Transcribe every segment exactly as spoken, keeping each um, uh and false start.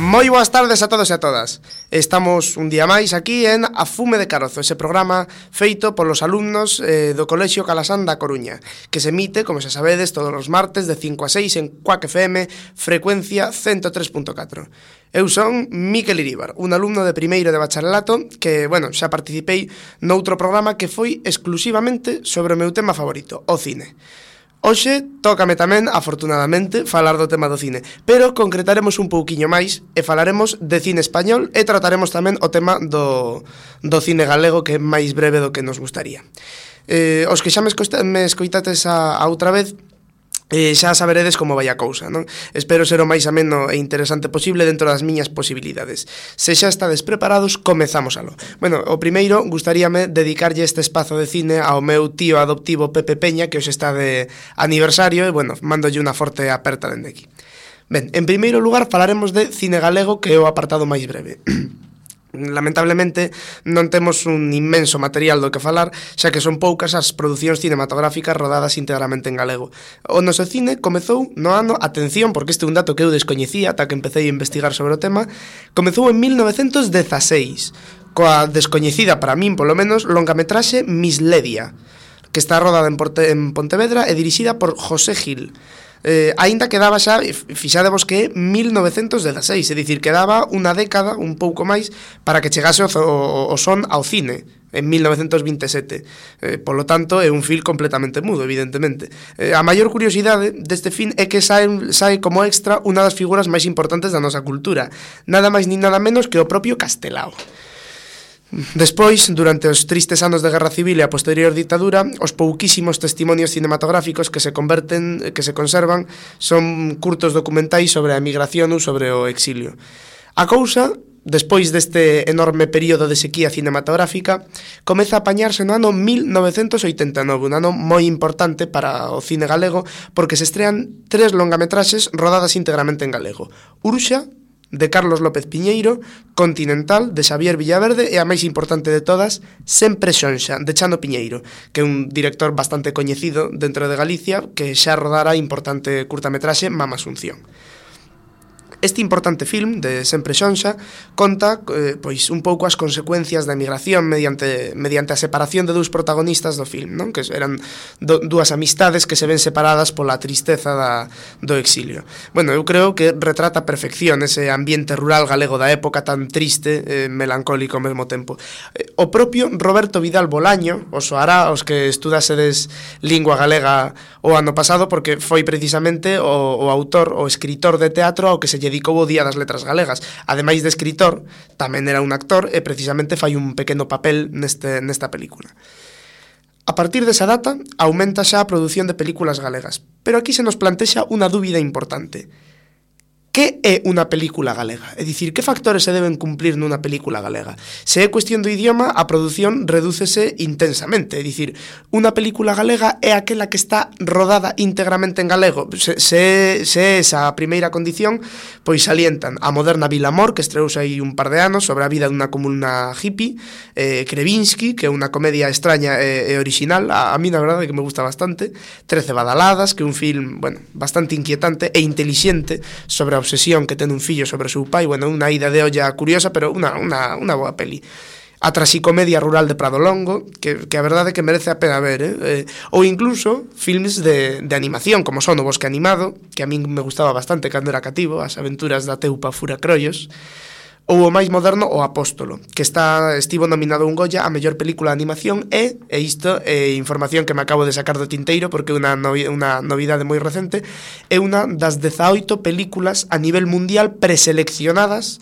Moi boas tardes a todos e a todas. Estamos un día máis aquí en A Fume de Carozo, ese programa feito polos alumnos eh, do Colexio Calasán da Coruña, que se emite, como xa sabedes, todos os martes de cinco a seis en Cuac F M, frecuencia ciento tres punto catro. Eu son Miquel Iríbar, un alumno de primeiro de bacharelato que, bueno, xa participei noutro programa que foi exclusivamente sobre o meu tema favorito, o cine. Hoxe tócame tamén, afortunadamente, falar do tema do cine, pero concretaremos un pouquiño máis e falaremos de cine español e trataremos tamén o tema do, do cine galego, que é máis breve do que nos gustaría. Eh, os que xa me, escoita, me escoitates a, a outra vez, eh, xa saberedes como vai a cousa, non? Espero ser o máis ameno e interesante posible dentro das miñas posibilidades. Se xa estades preparados, comezamos alo. Bueno, o primeiro, gustaríame dedicarlle este espazo de cine ao meu tío adoptivo Pepe Peña, que hoxe está de aniversario, e, bueno, mandolle unha forte aperta dende aquí. Ben, en primeiro lugar, falaremos de cine galego, que é o apartado máis breve. Lamentablemente non temos un inmenso material do que falar, xa que son poucas as producións cinematográficas rodadas integramente en galego. O noso cine comezou no ano, atención, porque este é un dato que eu descoñecía ata que empecé a investigar sobre o tema, comezou en mil novecentos dezaseis, coa descoñecida para min, polo menos, longametraxe Misledia, que está rodada en, Porte, en Pontevedra e dirixida por José Gil. Eh, aínda quedaba xa, fixadevos que é mil novecentos dezaseis, é dicir, quedaba unha década, un pouco máis, para que chegase o, o, o son ao cine en mil novecentos vinte e sete. Eh, polo tanto, é un film completamente mudo, evidentemente. Eh, a maior curiosidade deste film é que sae, sae como extra unha das figuras máis importantes da nosa cultura, nada máis ni nada menos que o propio Castelao. Despois, durante os tristes anos de Guerra Civil e a posterior ditadura, os pouquísimos testimonios cinematográficos que se converten, que se conservan, son curtos documentais sobre a emigración ou sobre o exilio. A cousa, despois deste enorme período de sequía cinematográfica, comeza a apañarse no ano mil novecentos oitenta e nove, un ano moi importante para o cine galego, porque se estrean tres longametraxes rodadas íntegramente en galego: Urxa, de Carlos López Piñeiro; Continental, de Xavier Villaverde; e a máis importante de todas, Sempre Xonxa, de Chano Piñeiro, que é un director bastante coñecido dentro de Galicia, que xa rodara importante curtametraxe Mama Asunción. Este importante film de Sempre Xonxa conta eh, pois un pouco as consecuencias da emigración mediante, mediante a separación de dous protagonistas do film, non? Que eran do, dúas amistades que se ven separadas pola tristeza da, do exilio. Bueno, eu creo que retrata a perfección ese ambiente rural galego da época tan triste, eh, melancólico ao mesmo tempo. Eh, o propio Roberto Vidal Bolaño, os soará os que estudasedes lingua galega o ano pasado, porque foi precisamente o, o autor, o escritor de teatro ao que se dedicou o Día das Letras Galegas. Ademais de escritor, tamén era un actor e precisamente fai un pequeno papel neste, nesta película. A partir desa data, aumenta xa a produción de películas galegas, pero aquí se nos plantexa unha dúbida importante. Que é unha película galega? É dicir, que factores se deben cumplir nunha película galega? Se é cuestión do idioma, a produción redúcese intensamente. É dicir, unha película galega é aquela que está rodada íntegramente en galego. Se, se, se é esa a primeira condición, pois salientan a moderna Vilamor, que estreouse aí un par de anos, sobre a vida dunha comuna hippie, eh, Krevinsky, que é unha comedia extraña e, e original, a, a mí na verdade que me gusta bastante, Trece badaladas, que é un film, bueno, bastante inquietante e intelixente sobre a obsesión que ten un fillo sobre o seu pai. Bueno, unha ida de olla curiosa, pero unha, unha, unha boa peli. A traxicomedia rural de Prado Longo, que, que a verdade é que merece a pena ver, eh? eh ou incluso filmes de, de animación, como son O Bosque Animado, que a min me gustaba bastante cando era cativo, As aventuras da Teupa Furacrollos, ou o máis moderno, O Apóstolo, que está estivo nominado a un Goya a mellor película de animación e, e isto é información que me acabo de sacar do tinteiro porque é unha, novi, unha novidade moi recente, é unha das dezaoito películas a nivel mundial preseleccionadas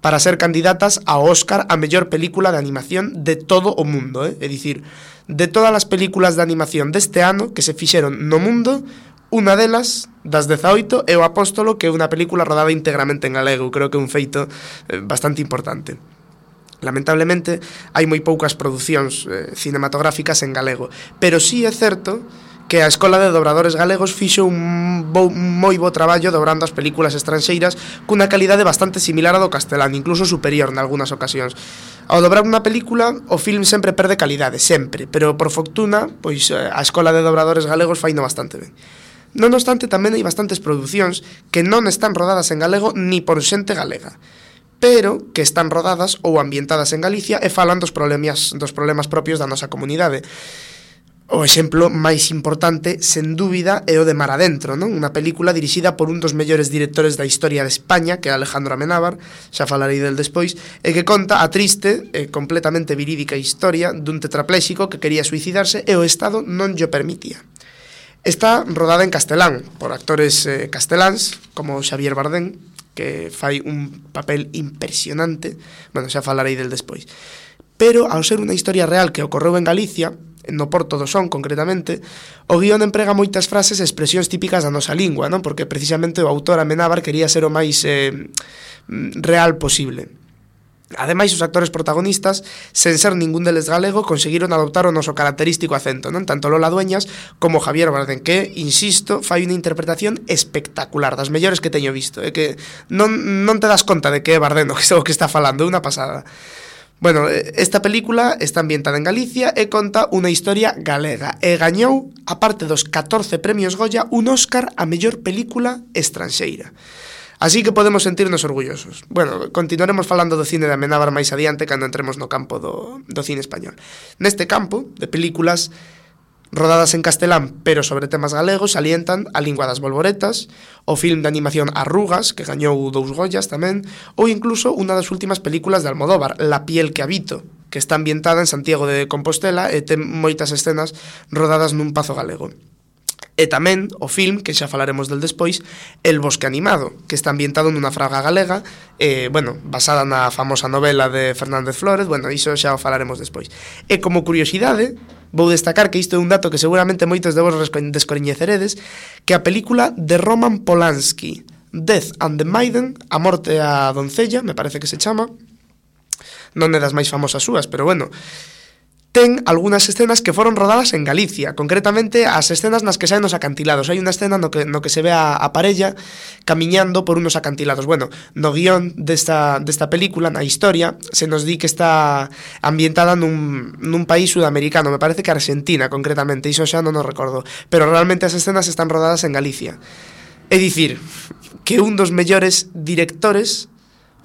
para ser candidatas ao Óscar a mellor película de animación de todo o mundo, eh? É dicir, de todas as películas de animación deste ano que se fixeron no mundo, unha delas, das dezaoito, é O Apóstolo, que é unha película rodada íntegramente en galego. Creo que é un feito eh, bastante importante. Lamentablemente, hai moi poucas producións eh, cinematográficas en galego, pero sí é certo que a Escola de Dobradores Galegos fixo un, bo, un moi bo traballo dobrando as películas estranxeiras cunha calidade bastante similar a do castelán, incluso superior nalgúnas ocasións. Ao dobrar unha película, o film sempre perde calidade, sempre, pero por fortuna, pois a Escola de Dobradores Galegos faino bastante ben. Non obstante, tamén hai bastantes producións que non están rodadas en galego ni por xente galega, pero que están rodadas ou ambientadas en Galicia e falan dos problemas, dos problemas propios da nosa comunidade. O exemplo máis importante, sen dúbida, é o de Mar Adentro, non? Unha película dirixida por un dos mellores directores da historia de España, que é Alejandro Amenábar, xa falarei del despois, e que conta a triste e completamente verídica historia dun tetrapléxico que quería suicidarse e o Estado non llo permitía. Está rodada en castelán, por actores eh, casteláns, como Xavier Bardem, que fai un papel impresionante, bueno, xa falarei del despois. Pero, ao ser unha historia real que ocorreu en Galicia, no Porto do Son, concretamente, o guión emprega moitas frases e expresións típicas da nosa lingua, non? Porque precisamente o autor Amenábar quería ser o máis eh, real posible. Ademais, os actores protagonistas, sen ser ningún deles galego, conseguiron adoptar o noso característico acento, non? Tanto Lola Dueñas como Javier Bardem, que, insisto, fai unha interpretación espectacular, das mellores que teño visto, é que non, non te das conta de que é Bardem o que, o que está falando, é unha pasada. Bueno, esta película está ambientada en Galicia e conta unha historia galega e gañou, aparte dos catorce premios Goya, un Óscar a mellor película estranxeira. Así que podemos sentirnos orgullosos. Bueno, continuaremos falando do cine de Amenábar máis adiante cando entremos no campo do, do cine español. Neste campo, de películas rodadas en castelán, pero sobre temas galegos, salientan A lingua das bolboretas, o film de animación Arrugas, que gañou dous Goyas tamén, ou incluso unha das últimas películas de Almodóvar, La piel que habito, que está ambientada en Santiago de Compostela e ten moitas escenas rodadas nun pazo galego. E tamén o film, que xa falaremos del despois, El bosque animado, que está ambientado nunha fraga galega, eh, bueno, basada na famosa novela de Fernández Flórez, bueno, iso xa o falaremos despois. E como curiosidade, vou destacar que isto é un dato que seguramente moitos de vos descoñeceredes, que a película de Roman Polanski, Death and the Maiden, A morte a doncella, me parece que se chama, non é das máis famosas súas, pero bueno, ten algunhas escenas que foron rodadas en Galicia, concretamente as escenas nas que saen os acantilados. Hai unha escena no que, no que se ve a, a parella camiñando por unos acantilados. Bueno, no guión desta, desta película, na historia, se nos di que está ambientada nun, nun país sudamericano, me parece que Argentina, concretamente, iso xa non o recordo, pero realmente as escenas están rodadas en Galicia. É dicir, que un dos mellores directores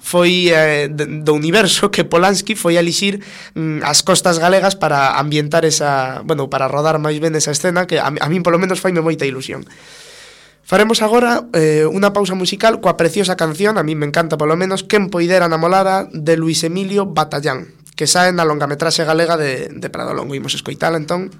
foi eh, do universo, que Polanski foi a elixir mm, as costas galegas para ambientar esa, bueno, para rodar máis ben esa escena, que a, a min polo menos faime moita ilusión. Faremos agora eh, unha pausa musical coa preciosa canción, a min me encanta polo menos, Quen poidera namorara, de Luis Emilio Batallán, que sae na longametraxe galega de, de Prado Longo. Imos escoitala, entón.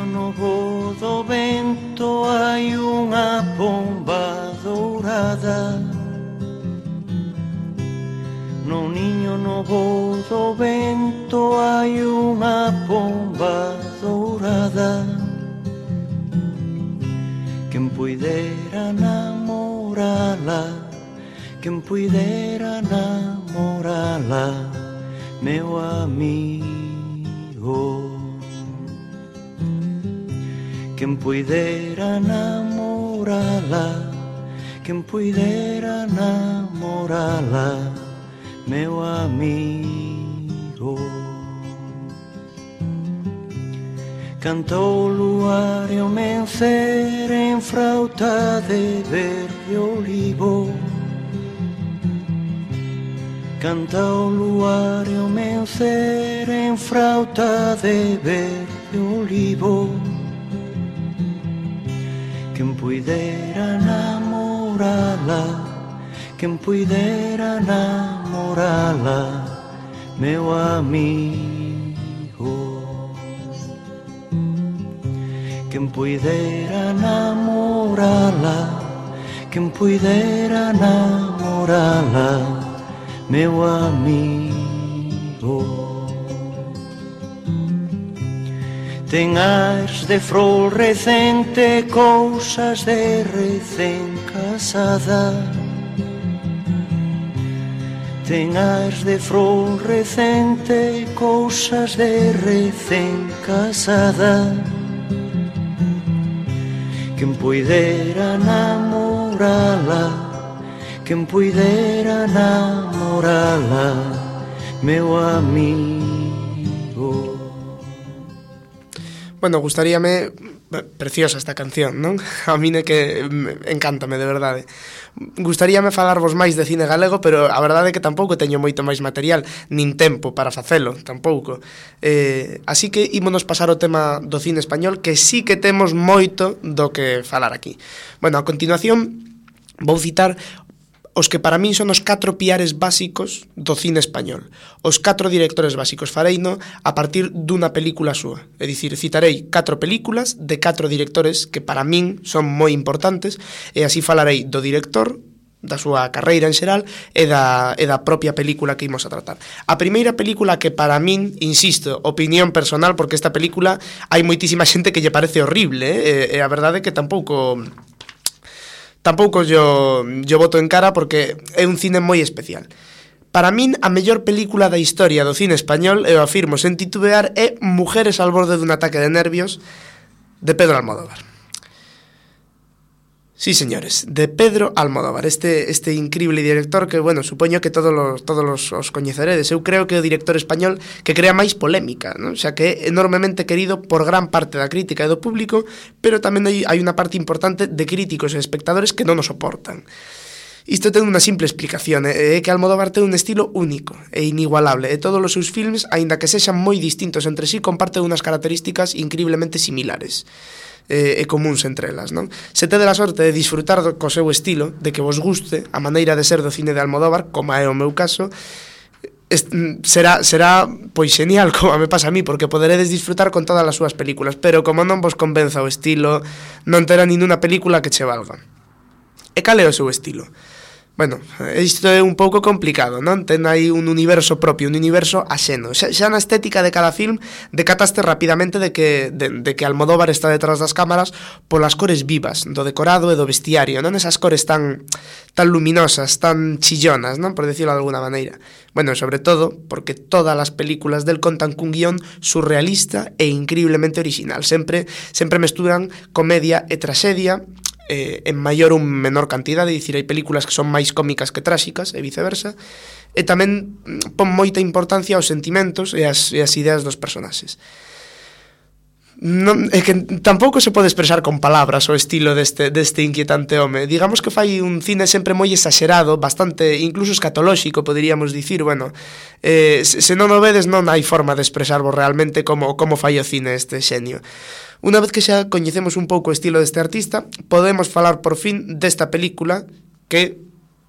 No voo do vento hai unha pomba dourada. No niño no voo do vento hai unha pomba dourada. Quen puidera namorala, quen puidera namorala, meu amigo. Quen puidera namorala, quen puidera namorala, meu amigo. Cantou o luar e o mencer en frauta de verde olivo. Canta o luar e o mencer en frauta de verde olivo. Quen puidera namorala, quen puidera namorala, meu amigo. Quen puidera namorala, quen puidera namorala, meu amigo. ten ares de flor recente, cousas de recén casada. Ten ares de flor recente, cousas de recén casada. Quen puidera namorala, quen puidera namorala, meu amigo. Bueno, gustaríame... Preciosa esta canción, non? A mí é que encántame, de verdade. Gustaríame falarvos máis de cine galego, pero a verdade é que tampouco teño moito máis material, nin tempo para facelo, tampouco. Eh, así que ímonos pasar o tema do cine español, que sí que temos moito do que falar aquí. Bueno, a continuación vou citar os que para min son os catro piares básicos do cine español. Os catro directores básicos fareino a partir dunha película súa. É dicir, citarei catro películas de catro directores que para min son moi importantes e así falarei do director, da súa carreira en xeral e da, e da propia película que imos a tratar. A primeira película que para min, insisto, opinión personal, porque esta película hai moitísima xente que lle parece horrible, eh? e, e a verdade é que tampouco... Tampouco yo, yo voto en cara porque é un cine moi especial. Para min, a mellor película da historia do cine español, e o afirmo sen titubear, é Mujeres al borde dun ataque de nervios, de Pedro Almodóvar. Sí, señores, de Pedro Almodóvar, este, este increíble director que, bueno, supoño que todos los, todos los os coñeceredes. Eu creo que é o director español que crea máis polémica, ¿no? O sea, que é enormemente querido por gran parte da crítica e do público, pero tamén hai, hai unha parte importante de críticos e espectadores que non o soportan. Isto ten unha simple explicación, é que Almodóvar ten un estilo único e inigualable, e todos os seus filmes, aínda que sexan moi distintos entre sí, comparten unhas características increíblemente similares e, e comuns entre elas, non? Se tedes a sorte de disfrutar do, co seu estilo, de que vos guste a maneira de ser do cine de Almodóvar, como é o meu caso, est, será, será pois genial, como me pasa a mí, porque poderedes disfrutar con todas as súas películas, pero como non vos convenza o estilo, non terá ninguna película que che valga. E cal é o seu estilo? Bueno, isto é un pouco complicado, non? Ten aí un universo propio, un universo axeno. Xa, xa na estética de cada film decataste rapidamente de que, de, de que Almodóvar está detrás das cámaras polas cores vivas, do decorado e do vestiario, non? Esas cores tan, tan luminosas, tan chillonas, non? Por decirlo de alguna maneira. Bueno, sobre todo porque todas as películas del contan cun guión surrealista e increíblemente original. Sempre, sempre mesturan comedia e traxedia, Eh, en maior ou menor cantidade, dicir, hai películas que son máis cómicas que tráxicas e viceversa, e tamén pon moita importancia aos sentimentos e as, e as ideas dos personaxes. Non, é que tampouco se pode expresar con palabras o estilo deste, deste inquietante home. Digamos que fai un cine sempre moi exagerado, bastante, incluso escatolóxico, poderíamos dicir. Bueno, eh, se, se non o vedes non hai forma de expresarvos realmente como, como fai o cine este xenio. Unha vez que xa coñecemos un pouco o estilo deste artista, podemos falar por fin desta película que,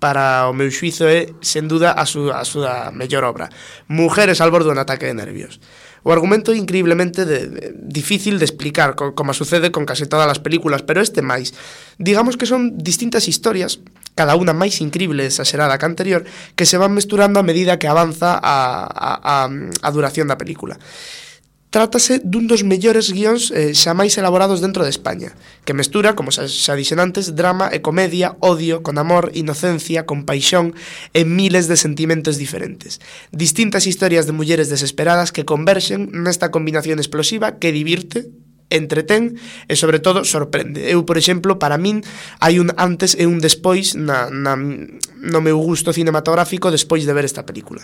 para o meu xuizo, é, sen duda, a súa, a súa mellor obra. Mujeres al borde dun ataque de nervios. O argumento é increíblemente de, de, difícil de explicar, co, como sucede con case todas as películas, pero este máis. Digamos que son distintas historias, cada unha máis increíble e exagerada que anterior, que se van mesturando a medida que avanza a, a, a, a duración da película. Trátase dun dos mellores guións eh, xa máis elaborados dentro de España, que mestura, como xa, xa dixen antes, drama e comedia, odio, con amor, inocencia, con paixón e miles de sentimentos diferentes. Distintas historias de mulleres desesperadas que converxen nesta combinación explosiva que divirte, entretén e, sobre todo, sorprende. Eu, por exemplo, para min, hai un antes e un despois na, na, no meu gusto cinematográfico despois de ver esta película.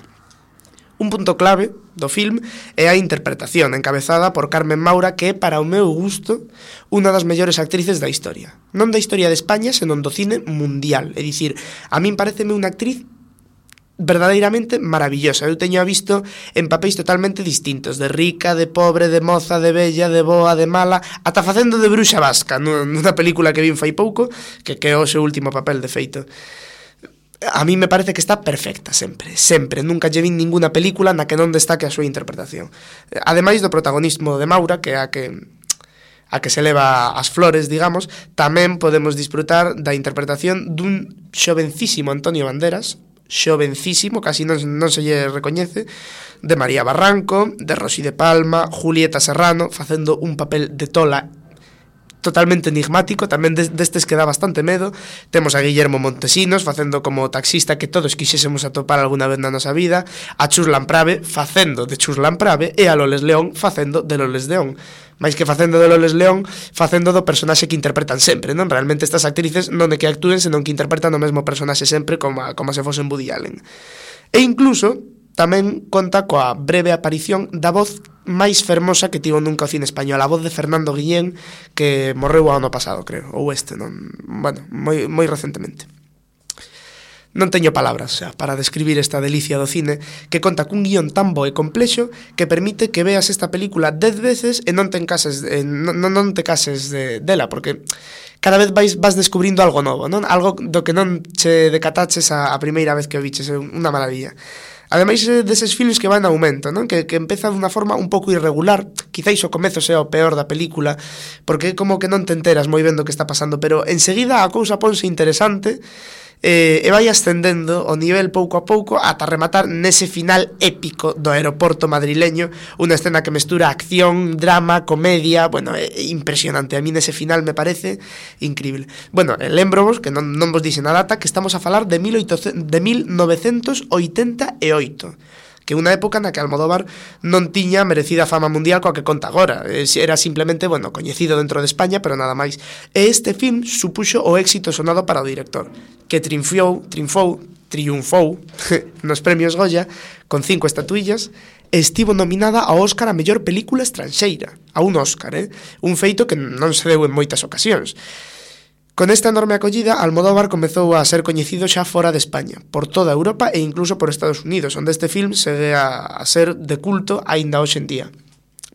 Un punto clave do film é a interpretación, encabezada por Carmen Maura, que é, para o meu gusto, unha das mellores actrices da historia. Non da historia de España, senón do cine mundial. É dicir, a min pareceme unha actriz verdadeiramente maravillosa. Eu teño a visto en papéis totalmente distintos, de rica, de pobre, de moza, de bella, de boa, de mala, ata facendo de bruxa vasca, nunha película que vin fai pouco, que que é o seu último papel, de feito. A mí me parece que está perfecta sempre, sempre, nunca lle vin ninguna película na que non destaque a súa interpretación. Ademais do protagonismo de Maura, que é a que a que se leva as flores, digamos, tamén podemos disfrutar da interpretación dun xovencísimo Antonio Banderas, xovencísimo, casi non, non se lle recoñece, de María Barranco, de Rosy de Palma, Julieta Serrano, facendo un papel de tola totalmente enigmático, tamén destes que dá bastante medo. Temos a Guillermo Montesinos facendo como taxista que todos quixésemos atopar alguna vez na nosa vida, a Chuslan Prave facendo de Chuslan Prave e a Loles León facendo de Loles León. máis que facendo de Loles León, facendo do personaxe que interpretan sempre, non? Realmente estas actrices non é que actúen, senón que interpretan o mesmo personaxe sempre como, a, como se fosen Woody Allen. E incluso tamén conta coa breve aparición da voz máis fermosa que tivo nunca o cine español, a voz de Fernando Guillén, que morreu o ano pasado, creo, ou este, non, bueno, moi, moi recentemente. Non teño palabras xa para describir esta delicia do cine, que conta cun guión tan bo e complexo que permite que veas esta película dez veces e non te encases, eh, non, non te cases de, dela, porque cada vez vais, vas descubrindo algo novo, non? Algo do que non che decataches a, a primeira vez que o viches, é unha maravilla. Ademais deses filmes que van en aumento, non? Que, que empeza dunha forma un pouco irregular, quizáis o comezo sea o peor da película, porque é como que non te enteras moi ben do que está pasando, pero enseguida a cousa ponse interesante, eh, e vai ascendendo o nivel pouco a pouco ata rematar nese final épico do aeroporto madrileño, unha escena que mestura acción, drama, comedia, bueno, é impresionante, a mí nese final me parece increíble. Bueno, lembrovos, que non, non vos dixen a data, que estamos a falar de, mil novecentos oitenta e oito, que unha época na que Almodóvar non tiña merecida fama mundial coa que conta agora, era simplemente, bueno, coñecido dentro de España, pero nada máis. E este film supuxo o éxito sonado para o director, que triunfou, triunfou, triunfou nos premios Goya con cinco estatuillas e estivo nominada ao Óscar a mellor película estranxeira, a un Óscar, eh? Un feito que non se deu en moitas ocasións. Con esta enorme acollida, Almodóvar comezou a ser coñecido xa fora de España, por toda Europa e incluso por Estados Unidos, onde este film segue a, a ser de culto aínda hoxe en día.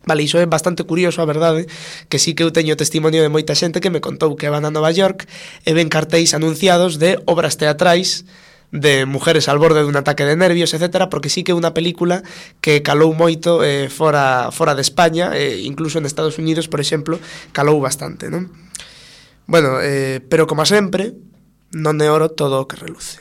Vale, iso é bastante curioso, a verdade, que sí que eu teño testimonio de moita xente que me contou que van a Nova York e ven cartéis anunciados de obras teatrais de mujeres al borde dun ataque de nervios, etcétera, porque sí que é unha película que calou moito eh, fora, fora de España, eh, incluso en Estados Unidos, por exemplo, calou bastante, non? Bueno, eh, pero como sempre, non é oro todo o que reluce.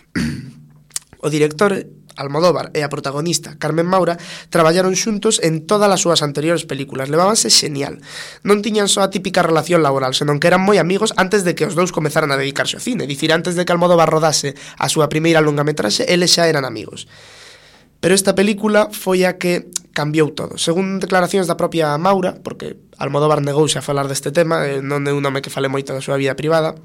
O director Almodóvar e a protagonista Carmen Maura traballaron xuntos en todas as súas anteriores películas, levábanse xenial. Non tiñan só a típica relación laboral, senón que eran moi amigos antes de que os dous comezaran a dedicarse ao cine. Dicir, antes de que Almodóvar rodase a súa primeira longametraxe, eles xa eran amigos. Pero esta película foi a que cambiou todo. Según declaracións da propia Maura, porque Almodóvar negouse a falar deste tema, non é un nome que fale moito da súa vida privada,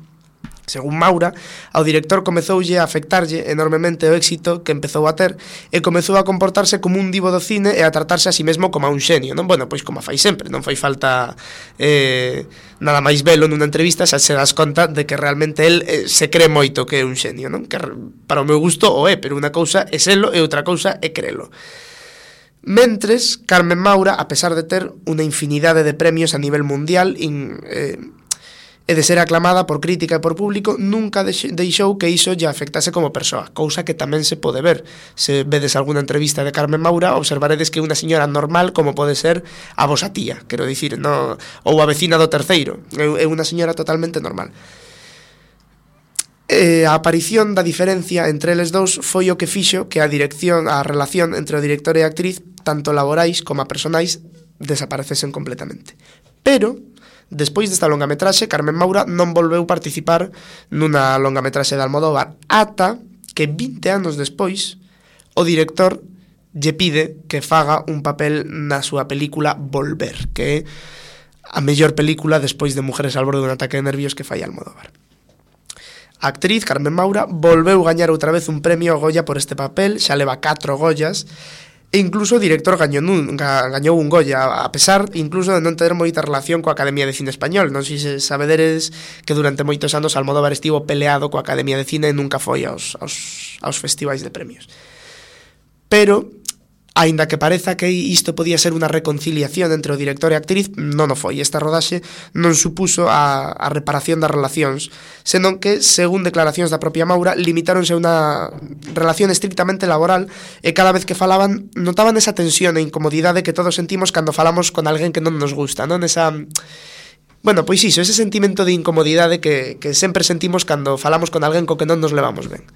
según Maura, ao director comezoulle a afectarlle enormemente o éxito que empezou a ter e comezou a comportarse como un divo do cine e a tratarse a si mesmo como a un xenio, non? Bueno, pois como fai sempre, non fai falta eh, nada máis velo nunha entrevista, xa se das conta de que realmente el eh, se cree moito que é un xenio, non? Que para o meu gusto o é, pero unha cousa é selo e outra cousa é crelo. Mentres, Carmen Maura, a pesar de ter unha infinidade de premios a nivel mundial in, eh, e de ser aclamada por crítica e por público, nunca deixou que iso lle afectase como persoa, cousa que tamén se pode ver. Se vedes alguna entrevista de Carmen Maura, observaredes que é unha señora normal como pode ser a vosa tía, quero dicir, no, ou a vecina do terceiro, é unha señora totalmente normal. E a aparición da diferencia entre eles dous foi o que fixo que a dirección, a relación entre o director e a actriz, tanto laborais como a personais, desaparecesen completamente. Pero despois desta longametraxe, Carmen Maura non volveu participar nunha longametraxe de Almodóvar ata que vinte anos despois o director lle pide que faga un papel na súa película Volver, que é a mellor película despois de Mujeres al borde dun ataque de nervios que fai Almodóvar. A actriz Carmen Maura volveu gañar outra vez un premio Goya por este papel, xa leva catro Goyas, e incluso o director gañou un, gañou un Goya, a pesar incluso de non ter moita relación coa Academia de Cine Español. Non sei se sabederes que durante moitos anos Almodóvar estivo peleado coa Academia de Cine e nunca foi aos, aos, aos festivais de premios. Pero, aínda que pareza que isto podía ser unha reconciliación entre o director e a actriz, non o foi. Esta rodaxe non supuso a, a reparación das relacións, senón que, según declaracións da propia Maura, limitáronse a unha relación estrictamente laboral e cada vez que falaban notaban esa tensión e incomodidade que todos sentimos cando falamos con alguén que non nos gusta, non? Esa... Bueno, pois iso, ese sentimento de incomodidade que, que sempre sentimos cando falamos con alguén co que non nos levamos ben.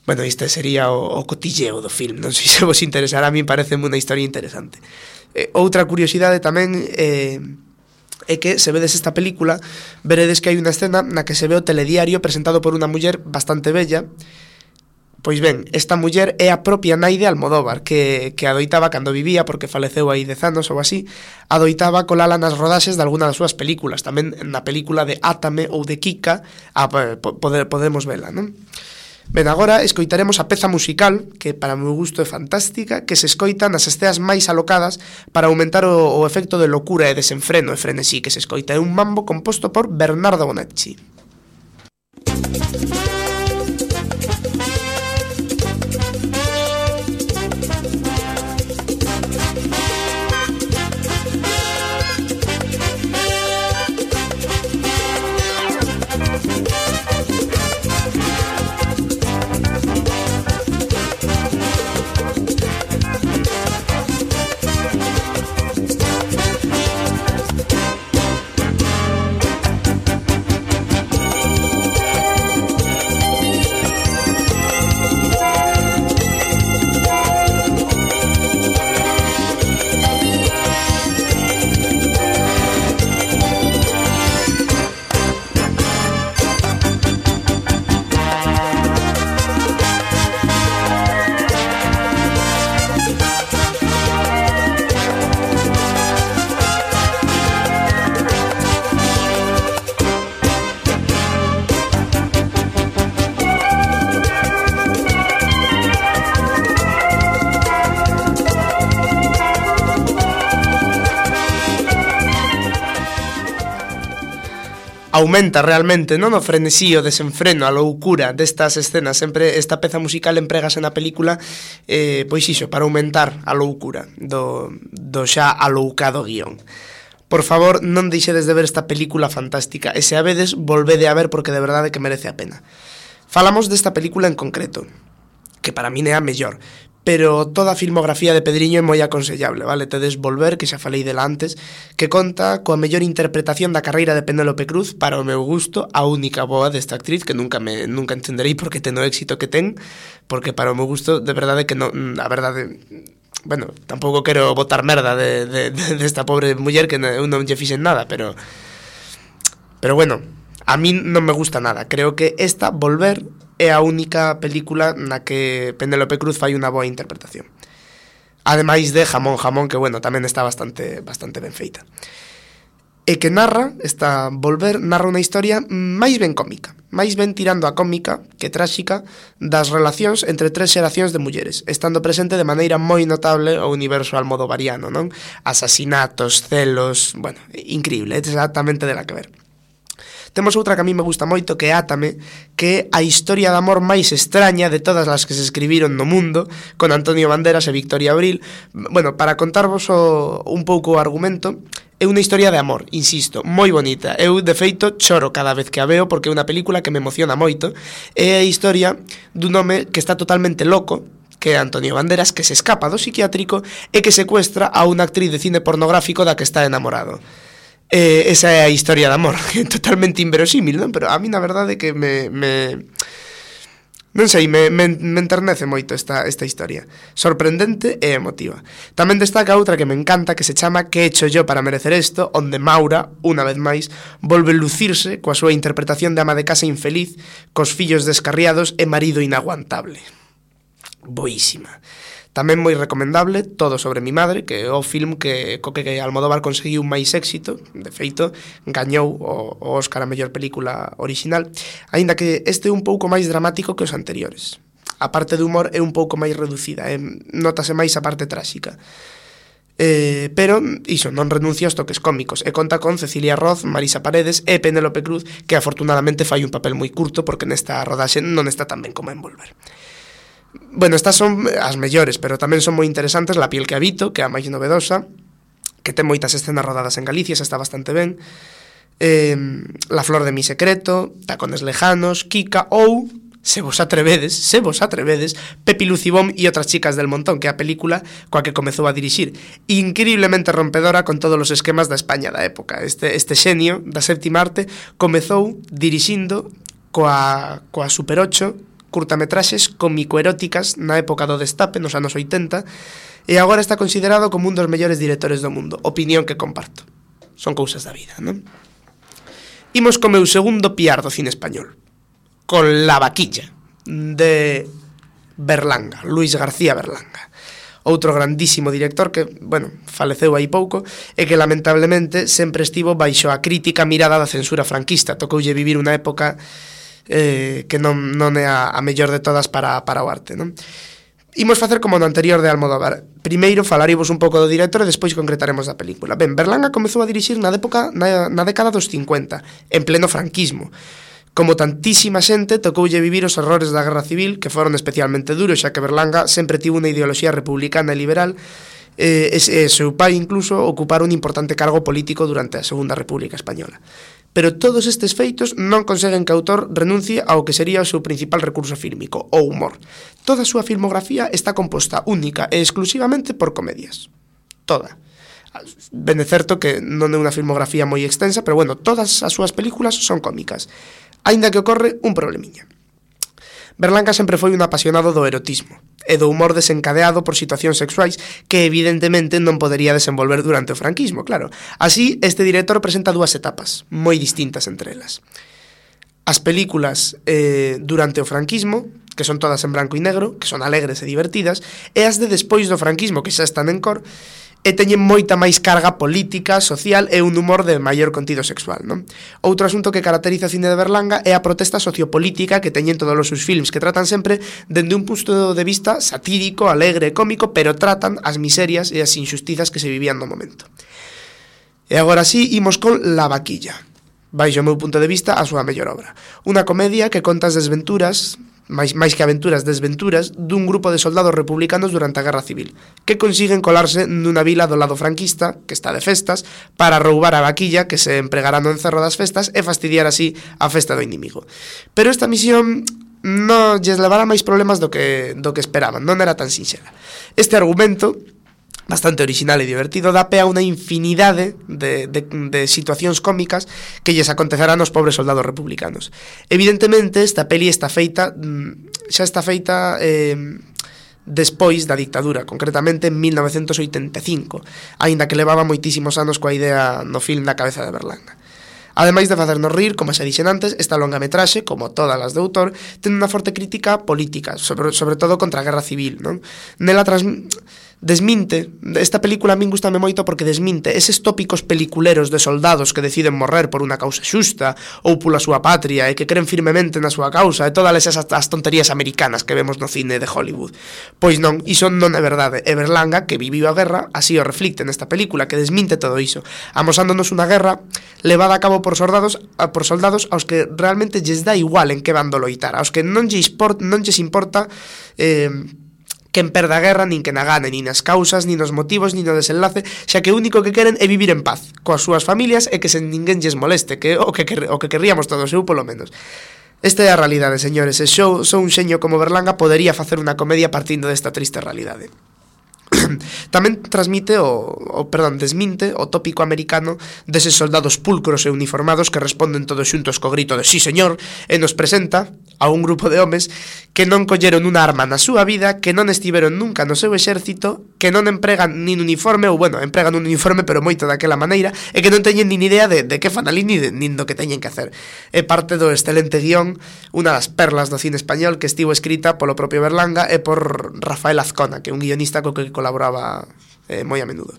Bueno, este sería o, o cotilleo do film, non sei se vos interesará, a mí parece unha historia interesante. Eh, outra curiosidade tamén eh, é que, se vedes esta película, veredes que hai unha escena na que se ve o telediario presentado por unha muller bastante bella. Pois ben, esta muller é a propia nai de Almodóvar, que, que adoitaba cando vivía, porque faleceu hai dez anos ou así, adoitaba colala nas rodaxes de alguna das súas películas, tamén na película de Átame ou de Kika, a, poder, podemos vela, non? Ben, agora escoitaremos a peza musical, que para o meu gusto é fantástica, que se escoita nas esteas máis alocadas para aumentar o, o efecto de locura e desenfreno e frenesí que se escoita. É un mambo composto por Bernardo Bonacci. Aumenta realmente, non, o frenesí, o desenfreno, a loucura destas escenas. Sempre esta peza musical emprégase na película, eh, pois iso, para aumentar a loucura do, do xa aloucado guión. Por favor, non deixedes de ver esta película fantástica, e se a vedes, volvede a ver porque de verdade que merece a pena. Falamos desta película en concreto, que para min é a mellor, pero toda a filmografía de Pedriño é moi aconsellable, vale? Tedes Volver, que xa falei dela antes, que conta coa mellor interpretación da carreira de Penélope Cruz, para o meu gusto, a única boa desta actriz, que nunca me nunca entenderei porque ten o éxito que ten, porque para o meu gusto, de verdade que non, a verdade, bueno, tampouco quero botar merda de, de, de, desta pobre muller que eu non lle fixen nada, pero pero bueno, a min non me gusta nada. Creo que esta, Volver, é a única película na que Penélope Cruz fai unha boa interpretación. Ademais de Jamón, Jamón, que, bueno, tamén está bastante bastante ben feita. E que narra, esta Volver, narra unha historia máis ben cómica, máis ben tirando a cómica que tráxica das relacións entre tres xeracións de mulleres, estando presente de maneira moi notable o universo almodovariano, non? Asasinatos, celos, bueno, increíble, é exactamente de la que ver. Temos outra que a mí me gusta moito, que é Átame, que é a historia de amor máis extraña de todas as que se escribiron no mundo, con Antonio Banderas e Victoria Abril. Bueno, para contarvos o, un pouco o argumento, é unha historia de amor, insisto, moi bonita. Eu, de feito, choro cada vez que a veo porque é unha película que me emociona moito. É a historia dun home que está totalmente loco, que é Antonio Banderas, que se escapa do psiquiátrico e que secuestra a unha actriz de cine pornográfico da que está enamorado. Eh, esa é a historia de amor, totalmente inverosímil, non? Pero a mí na verdade que me, me non sei, me, me, me enternece moito esta, esta historia. Sorprendente e emotiva. Tamén destaca outra que me encanta, que se chama Que he hecho yo para merecer esto, onde Maura, unha vez máis, volve lucirse coa súa interpretación de ama de casa infeliz, cos fillos descarriados e marido inaguantable. Boísima. Tamén moi recomendable Todo sobre mi madre, que é o film que co que Almodóvar conseguiu máis éxito. De feito, gañou o, o Óscar a mellor película original, aínda que este é un pouco máis dramático que os anteriores. A parte de humor é un pouco máis reducida, eh? Notase máis a parte tráxica. Eh, pero, iso, non renuncia aos toques cómicos, e conta con Cecilia Roth, Marisa Paredes e Penélope Cruz, que afortunadamente fai un papel moi curto porque nesta rodaxe non está tan ben como en Volver. Bueno, estas son as mellores, pero tamén son moi interesantes La piel que habito, que é a máis novedosa, que ten moitas escenas rodadas en Galicia, xa está bastante ben. eh, La flor de mi secreto, Tacones lejanos, Kika ou, se vos atrevedes, se vos atrevedes, Pepi Lucibón e outras chicas del montón, que é a película coa que comezou a dirixir. Increíblemente rompedora con todos os esquemas da España da época. Este, este xenio da séptima arte comezou dirixindo coa, coa Super ocho, curtametraxes cómico-eróticas na época do destape, nos anos oitenta, e agora está considerado como un dos mellores directores do mundo. Opinión que comparto. Son cousas da vida, non? Imos co meu segundo piar do cine español, con La Vaquilla, de Berlanga, Luis García Berlanga. Outro grandísimo director que, bueno, faleceu aí pouco e que lamentablemente sempre estivo baixo a crítica mirada da censura franquista. Tocoulle vivir unha época eh, que non, non é a, a mellor de todas para, para o arte, non? Imos facer como no anterior de Almodóvar. Primeiro falaremos un pouco do director e despois concretaremos da película. Ben, Berlanga comezou a dirixir na, época, na, na década dos cincuenta, en pleno franquismo. Como tantísima xente, tocoulle vivir os horrores da Guerra Civil, que foron especialmente duros, xa que Berlanga sempre tivo unha ideoloxía republicana e liberal, e, e, e seu pai incluso ocupara un importante cargo político durante a Segunda República Española. Pero todos estes feitos non conseguen que o autor renuncie ao que sería o seu principal recurso fílmico, o humor. Toda a súa filmografía está composta única e exclusivamente por comedias. Toda. Ben é certo que non é unha filmografía moi extensa, pero bueno, todas as súas películas son cómicas. Aínda que ocorre un problemiña. Berlanga sempre foi un apasionado do erotismo e do humor desencadeado por situacións sexuais que evidentemente non podería desenvolver durante o franquismo, claro. Así, este director presenta dúas etapas, moi distintas entre elas. As películas eh, durante o franquismo, que son todas en branco e negro, que son alegres e divertidas, e as de despois do franquismo, que xa están en cor, e teñen moita máis carga política, social e un humor de maior contido sexual, non? Outro asunto que caracteriza o cine de Berlanga é a protesta sociopolítica que teñen todos os seus films, que tratan sempre dende un punto de vista satírico, alegre e cómico, pero tratan as miserias e as injustizas que se vivían no momento. E agora sí, imos con La Vaquilla, baixo o meu punto de vista, a súa mellor obra. Unha comedia que conta as desventuras, máis, máis que aventuras, desventuras, dun grupo de soldados republicanos durante a Guerra Civil, que consiguen colarse nunha vila do lado franquista, que está de festas, para roubar a vaquilla que se empregará no encerro das festas e fastidiar así a festa do inimigo. Pero esta misión non lles levará máis problemas do que, do que esperaban, non era tan sinxela. Este argumento, bastante original e divertido, dá pé a unha infinidade de, de, de situacións cómicas que lles acontecerán aos pobres soldados republicanos. Evidentemente, esta peli está feita, xa está feita eh, despois da dictadura, concretamente en mil novecentos oitenta e cinco, aínda que levaba moitísimos anos coa idea no film na cabeza de Berlanga. Ademais de facernos rir, como xa dixen antes, esta longametraxe, como todas as de autor, ten unha forte crítica política, sobre, sobre todo contra a Guerra Civil, non? Nela trans... desminte, esta película a min gustame moito porque desminte eses tópicos peliculeros de soldados que deciden morrer por unha causa xusta ou pola súa patria e que creen firmemente na súa causa e todas esas as tonterías americanas que vemos no cine de Hollywood. Pois non, iso non é verdade. E Berlanga, que viviu a guerra, así o reflicte nesta película, que desminte todo iso, amosándonos unha guerra levada a cabo por soldados, por soldados aos que realmente lles dá igual en que bando loitar, aos que non lles importa, non lles importa eh, quen perda a guerra, nin que na gane, nin as causas, nin os motivos, nin o desenlace, xa que o único que queren é vivir en paz coas súas familias e que sen ninguén lles moleste, que o que, o que querríamos todos, eu polo menos. Esta é a realidade, señores, e xo, xo un xeño como Berlanga podería facer unha comedia partindo desta triste realidade. Tamén transmite o, o, perdón, desminte o tópico americano deses soldados pulcros e uniformados que responden todos xuntos co grito de sí señor e nos presenta a un grupo de homes que non colleron unha arma na súa vida, que non estiveron nunca no seu exército, que non empregan nin uniforme, ou bueno, empregan un uniforme pero moito daquela maneira, e que non teñen nin idea de, de que fan ali ni, de, nin do que teñen que hacer. É parte do excelente guión, unha das perlas do cine español que estivo escrita polo propio Berlanga e por Rafael Azcona, que é un guionista co que colaboraba eh, moi a menudo.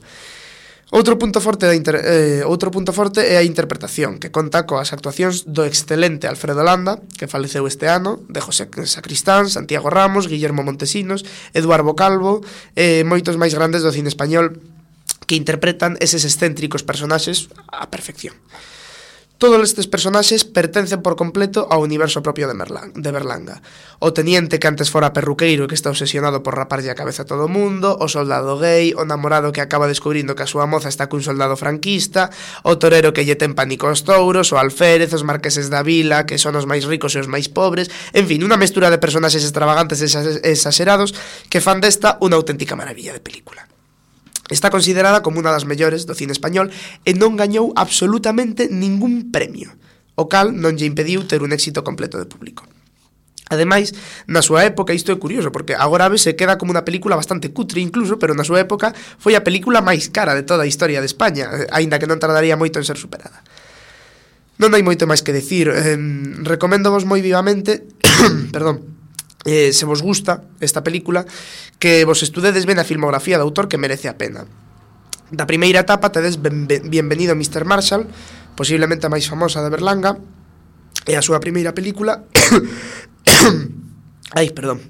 Outro punto forte da inter, eh, outro punto forte é a interpretación, que conta coas actuacións do excelente Alfredo Landa, que faleceu este ano, de José Sacristán, Santiago Ramos, Guillermo Montesinos, Eduardo Calvo e moitos máis grandes do cine español que interpretan eses excéntricos personaxes á perfección. Todos estes personaxes pertencen por completo ao universo propio de, Merlán, de Berlanga. O teniente que antes fora perruqueiro e que está obsesionado por raparlle a cabeza a todo o mundo, o soldado gay, o namorado que acaba descubrindo que a súa moza está cun soldado franquista, o torero que lle ten pánico aos touros, o alférez, os marqueses da vila, que son os máis ricos e os máis pobres, en fin, unha mestura de personaxes extravagantes e exagerados que fan desta unha auténtica maravilla de película. Está considerada como unha das mellores do cine español e non gañou absolutamente ningún premio, o cal non lle impediu ter un éxito completo de público. Ademais, na súa época, isto é curioso, porque agora se queda como unha película bastante cutre incluso, pero na súa época foi a película máis cara de toda a historia de España, aínda que non tardaría moito en ser superada. Non hai moito máis que decir, eh, recoméndovos moi vivamente, perdón, eh, se vos gusta esta película, que vos estudedes ben a filmografía do autor, que merece a pena. Da primeira etapa tedes ben, ben, Bienvenido mister Marshall, posiblemente a máis famosa de Berlanga, e a súa primeira película ai, perdón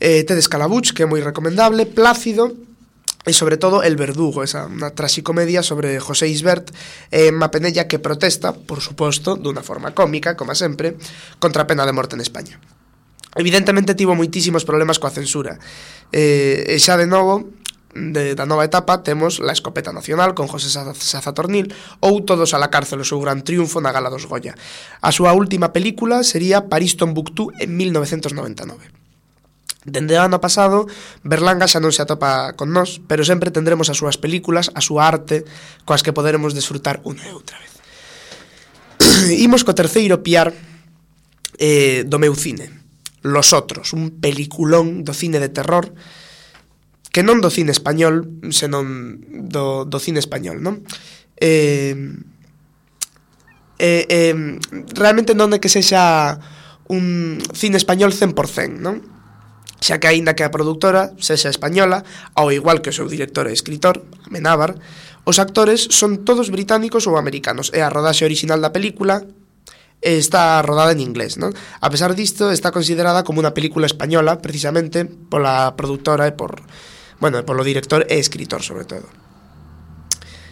eh, tedes Calabuch, que é moi recomendable, Plácido e sobre todo El Verdugo, esa unha traxicomedia sobre José Isbert e Emma Penella, que protesta, por suposto, dunha forma cómica, como sempre, contra a pena de morte en España. Evidentemente tivo moitísimos problemas coa censura, eh, e xa de novo de, da nova etapa temos La Escopeta Nacional con José Sazatornil ou Todos a la cárcel, o seu gran triunfo na Gala dos Goya. A súa última película sería París Tombuctú en mil novecentos noventa e nove. Dende o ano pasado, Berlanga xa non se atopa con nós, pero sempre tendremos as súas películas, a súa arte, coas que poderemos desfrutar unha e outra vez. Imos co terceiro piar eh, do meu cine, Los Otros, un peliculón do cine de terror, que non do cine español, senón do, do cine español, non? Eh, eh, eh, realmente non é que sexa un cine español cen por cento, non? Xa que aínda que a produtora sexa española, ao igual que o seu director e escritor, Amenábar, os actores son todos británicos ou americanos, e a rodaxe original da película está rodada en inglés, non? A pesar disto, está considerada como unha película española, precisamente pola produtora e por, bueno, polo director e escritor, sobre todo.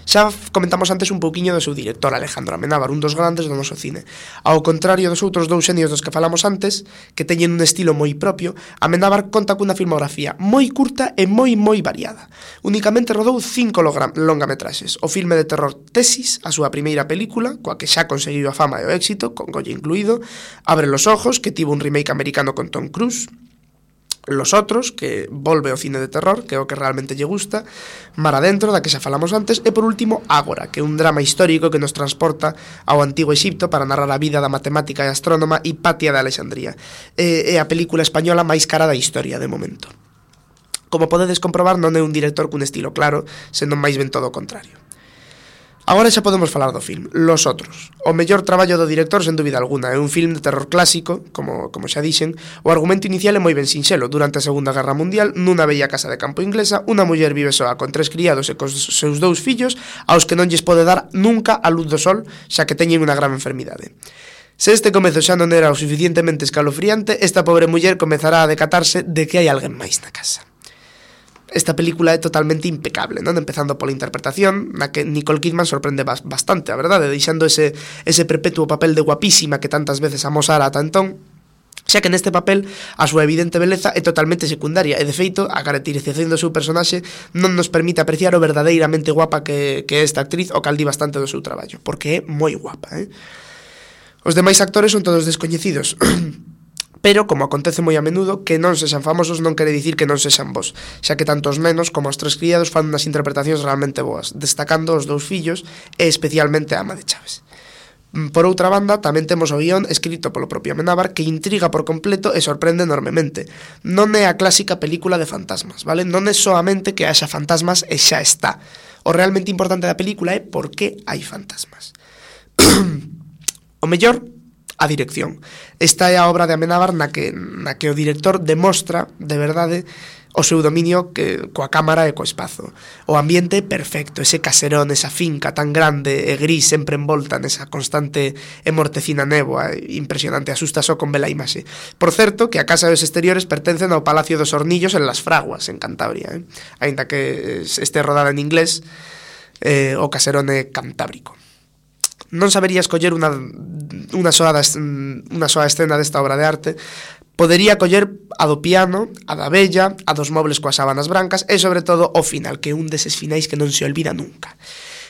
Xa comentamos antes un pouquiño do seu director, Alejandro Amenábar, un dos grandes do noso cine. Ao contrario dos outros dous xenios dos que falamos antes, que teñen un estilo moi propio, Amenábar conta cunha filmografía moi curta e moi moi variada. Únicamente rodou cinco longametraxes: o filme de terror Tesis, a súa primeira película, coa que xa conseguiu a fama e o éxito, con Goya incluído; Abre los ojos, que tivo un remake americano con Tom Cruise; Los Otros, que volve ao cine de terror, que é o que realmente lle gusta; Mar adentro, da que xa falamos antes; e por último Ágora, que é un drama histórico que nos transporta ao antigo Exipto para narrar a vida da matemática e astrónoma Hipatia de Alexandría. É, é a película española máis cara da historia de momento. Como podedes comprobar, non é un director cun estilo claro, senón máis ben todo o contrario. Agora xa podemos falar do film, Los Otros. O mellor traballo do director, sen dúbida alguna, é un film de terror clásico, como, como xa dixen. O argumento inicial é moi ben sinxelo. Durante a Segunda Guerra Mundial, nunha bella casa de campo inglesa, unha muller vive soa con tres criados e cos seus dous fillos, aos que non lles pode dar nunca a luz do sol, xa que teñen unha gran enfermidade. Se este comezo xa non era o suficientemente escalofriante, esta pobre muller comezará a decatarse de que hai alguén máis na casa. Esta película é totalmente impecable, non? Empezando pola interpretación, na que Nicole Kidman sorprende bastante, a verdade, deixando ese, ese perpetuo papel de guapísima que tantas veces amosara ata entón, xa que neste papel a súa evidente beleza é totalmente secundaria, e de feito a caracterización do seu personaxe non nos permite apreciar o verdadeiramente guapa que, que é esta actriz, o cal di bastante do seu traballo, porque é moi guapa, eh? Os demais actores son todos descoñecidos, pero, como acontece moi a menudo, que non sexan famosos non quere dicir que non sexan bons, xa que tanto os nenos como os tres criados fan unhas interpretacións realmente boas, destacando os dous fillos e especialmente a ama de Chaves. Por outra banda, tamén temos o guión escrito polo propio Amenábar, que intriga por completo e sorprende enormemente. Non é a clásica película de fantasmas, vale? Non é soamente que haxa fantasmas e xa está. O realmente importante da película é por que hai fantasmas. O mellor, a dirección. Esta é a obra de Amenábar na que, na que o director demostra, de verdade, o seu dominio que, coa cámara e co espazo. O ambiente perfecto, ese caserón, esa finca tan grande e gris, sempre envolta nesa constante e mortecina néboa, impresionante, asusta só con vela imaxe. Por certo, que a casa dos exteriores pertencen ao Palacio dos Hornillos en Las Fraguas, en Cantabria, eh? Ainda que este rodada en inglés, eh, o caserón é cantábrico. Non sabería escoller unha, unha, soa, unha soa escena desta obra de arte. Podería coller a do piano, a da vella, a dos mobles coas sábanas brancas e, sobre todo, o final, que é un deses finais que non se olvida nunca.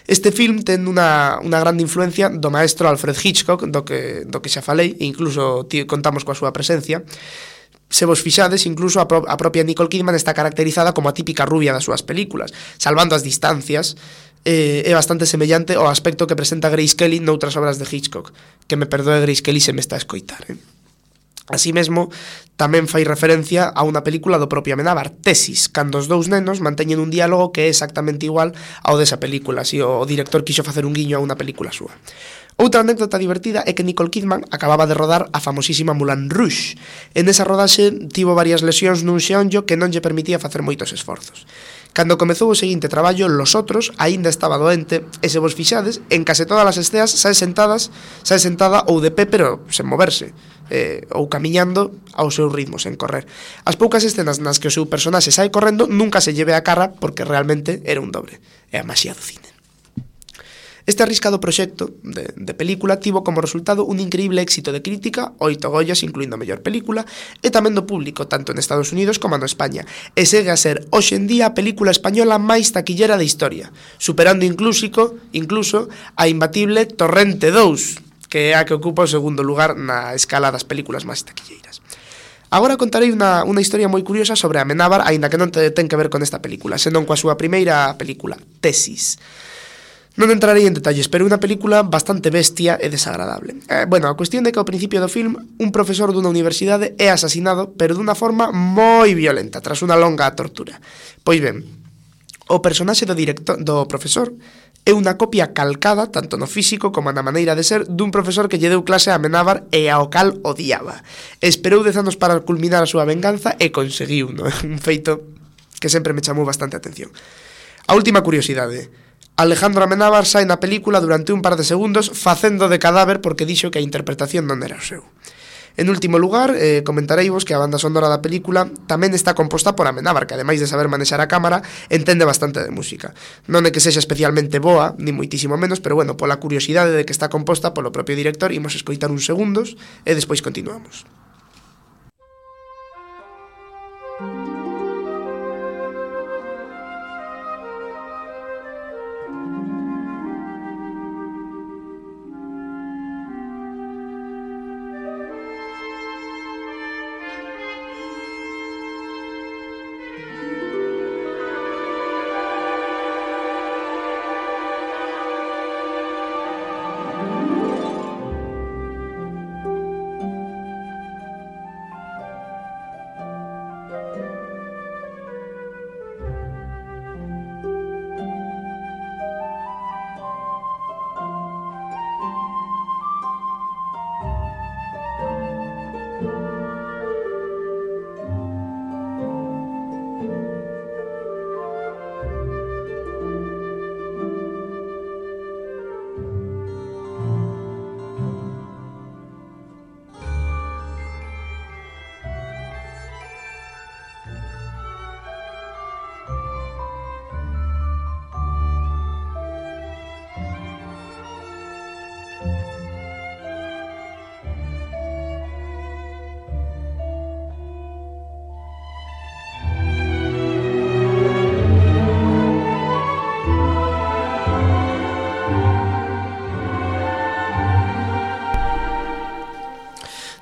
Este film ten unha, unha grande influencia do maestro Alfred Hitchcock, do que, do que xa falei, e incluso tío, contamos coa súa presencia. Se vos fixades, incluso a, pro, a propia Nicole Kidman está caracterizada como a típica rubia das súas películas, salvando as distancias. Eh, é bastante semellante ao aspecto que presenta Grace Kelly noutras obras de Hitchcock, que me perdoe Grace Kelly se me está a escoitar, eh? Así mesmo, tamén fai referencia a unha película do propio Amenábar, Tesis, cando os dous nenos manteñen un diálogo que é exactamente igual ao desa película, así o director quixo facer un guiño a unha película súa. Outra anécdota divertida é que Nicole Kidman acababa de rodar a famosísima Moulin Rouge. En esa rodaxe tivo varias lesións nun xeonllo que non lle permitía facer moitos esforzos. Cando comezou o seguinte traballo, Los Otros aínda estaba doente, e se vos fixades, en case todas as esteas sae sentadas, sae sentada ou de pé, pero sen moverse, eh, ou camiñando ao seu ritmo, sen correr. As poucas escenas nas que o seu personaxe sae correndo nunca se lleve a cara porque realmente era un dobre. É a maxía do cine. Este arriscado proxecto de, de película tivo como resultado un increíble éxito de crítica, oito Goyas, incluindo a mellor película, e tamén do público, tanto en Estados Unidos como no España, e segue a ser hoxe en día a película española máis taquillera da historia, superando incluso, incluso a imbatible Torrente dous, que é a que ocupa o segundo lugar na escala das películas máis taquilleiras. Agora contarei unha, unha historia moi curiosa sobre Amenábar, aínda que non te, ten que ver con esta película, senón coa súa primeira película, Tesis. Non entrarei en detalles, pero é unha película bastante bestia e desagradable. Eh, bueno, a cuestión é que ao principio do film un profesor dunha universidade é asasinado, pero dunha forma moi violenta, tras unha longa tortura. Pois ben, o personaxe do director, do profesor é unha copia calcada, tanto no físico como na maneira de ser, dun profesor que lle deu clase a Amenábar e ao cal odiaba. Esperou dez anos para culminar a súa venganza e conseguiu, no? Un feito que sempre me chamou bastante a atención. A última curiosidade: Alejandro Amenábar sai na película durante un par de segundos facendo de cadáver porque dixo que a interpretación non era o seu. En último lugar, eh, comentareivos que a banda sonora da película tamén está composta por Amenábar, que ademais de saber manexar a cámara, entende bastante de música. Non é que sexa especialmente boa, ni moitísimo menos, pero bueno, pola curiosidade de que está composta polo propio director, imos escoitar uns segundos e despois continuamos.